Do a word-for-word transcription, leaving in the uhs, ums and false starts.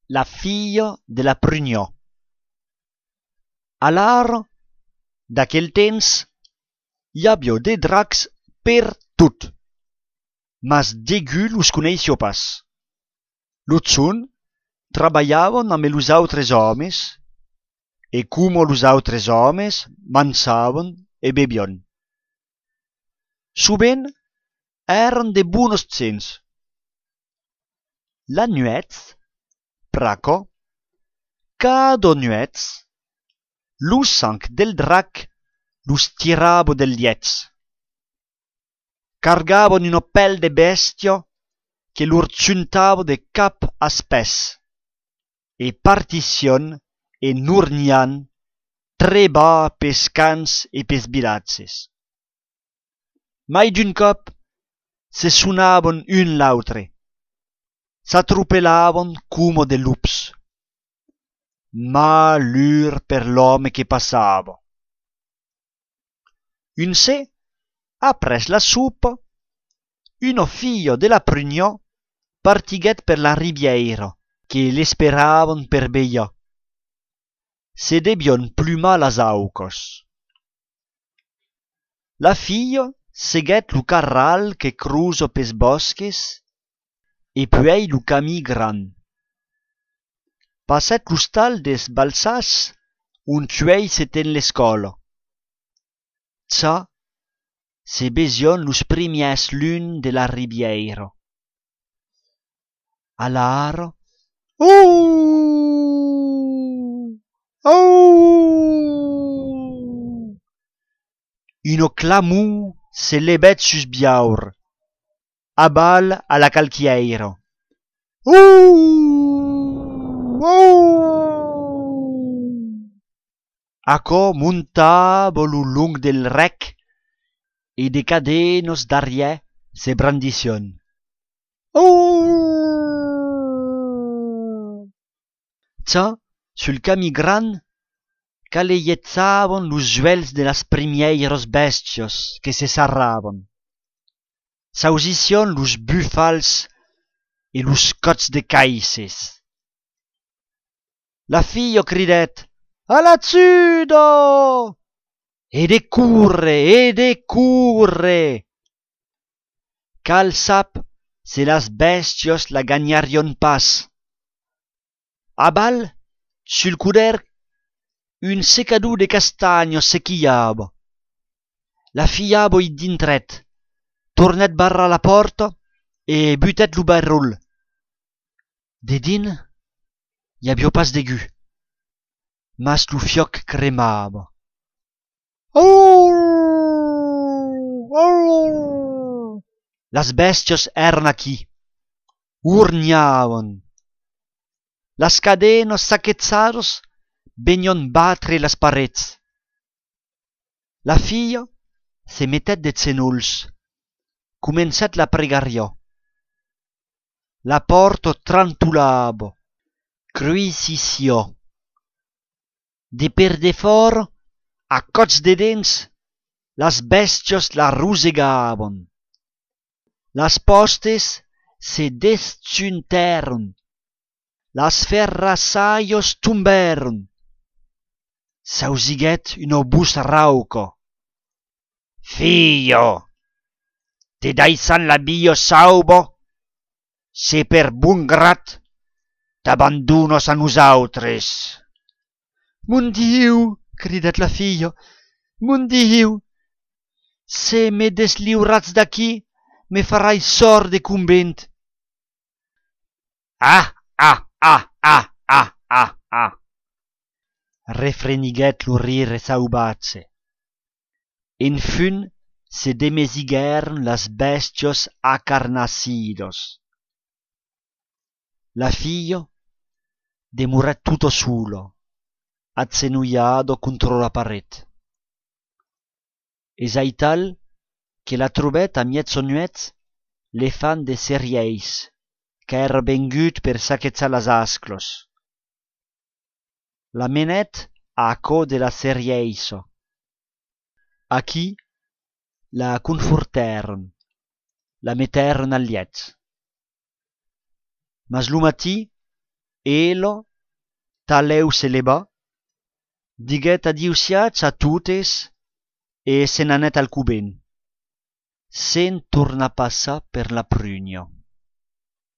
La filla de la prugnò. Alara, d'aquel temps, hi havia de dracs per tot, mas degú los coneisio pas. L'otzun traballavan amb los autres homes, e como los autres homes mansavan e bebion. Sovent eran de bunos cents. La nuet, praco, cada nuet, lo sang del drac los tirava del liets. Cargavan una pelle de bestia che lor ciuntava de cap a spes, e particien e nurnian treba pes cans e pes bilazzes. Mai d'un cop se sunavan un l'autre, s'atropelavan como de lups. Malheur per l'home che passava. Un se, apres la soupa, una filla de la prugnò partiguet per la riviera che l'esperavan per beia. Se debian plumar las aucos. La filla seguet lu carral che cruza pes bosques e puei lu camí gran. Passet lu stal des balsas un tuei se ten l'escola. Ça, se besion los primies lun de la riviera. Alara, ouh, ouh, uno clamor se lebet sus biaur, a bal a la calchiera. Ouh, ouh. Aco montava lo long del rec e de cadenos d'arriè se brandission. Ouh. Ça, sul camí gran, caleiezzavan los juels de las primieiros bestios que se sarravan. S'ausission los bufals e los cots de caisses. La filla cridet: «A la zuda!» E de curre, e de curre! Cal sap se las bestios la gagnarion pas. A bal, sul cuder, un secador de castagno sechiava. La fiava i dintret, tornet barra la porta e butet lu barrul. De din, i havia pas degú, mas lu fioc cremava. Oh! Oh! Las bestios eran aquí, urniavan. Las cadenas saquezzados venion batre las parets. La filla se mettet de zenolls, comencet la pregaria. La porta trantulava, cruisissió. De per de for, a cots de dents, las bestios la rusegavan. Las postes se desciunteron, las ferrassaios tumberon. S'ausiguet una bus rauca. «Fillo, te daisan la bio saubo, se per bun grat t'abandonos a nosaltres.» «Mon Diu!» cridet la filla. «Mon Diu! Se me desliurats d'aquí, me farai sort de convent.» «Ah, ah, ah, ah, ah, ah, ah!» refreniguet lo rire saubatse. En fun se demesigueren las bestios acarnacidos. La filla demuret tutto solo, azzenuiado contro la paret. Es aital che la trobet a miezzo nuet le fan de serieis, che era vengut per saquezzar las asclos. La menet a co de la serieiso. Aquí la confortèron, la metèron al liet. Mas lo matí Elo taleu se leva, diguet adiusiats a totes e se n'anèt al cuben, sen tornar a passar per la prugna.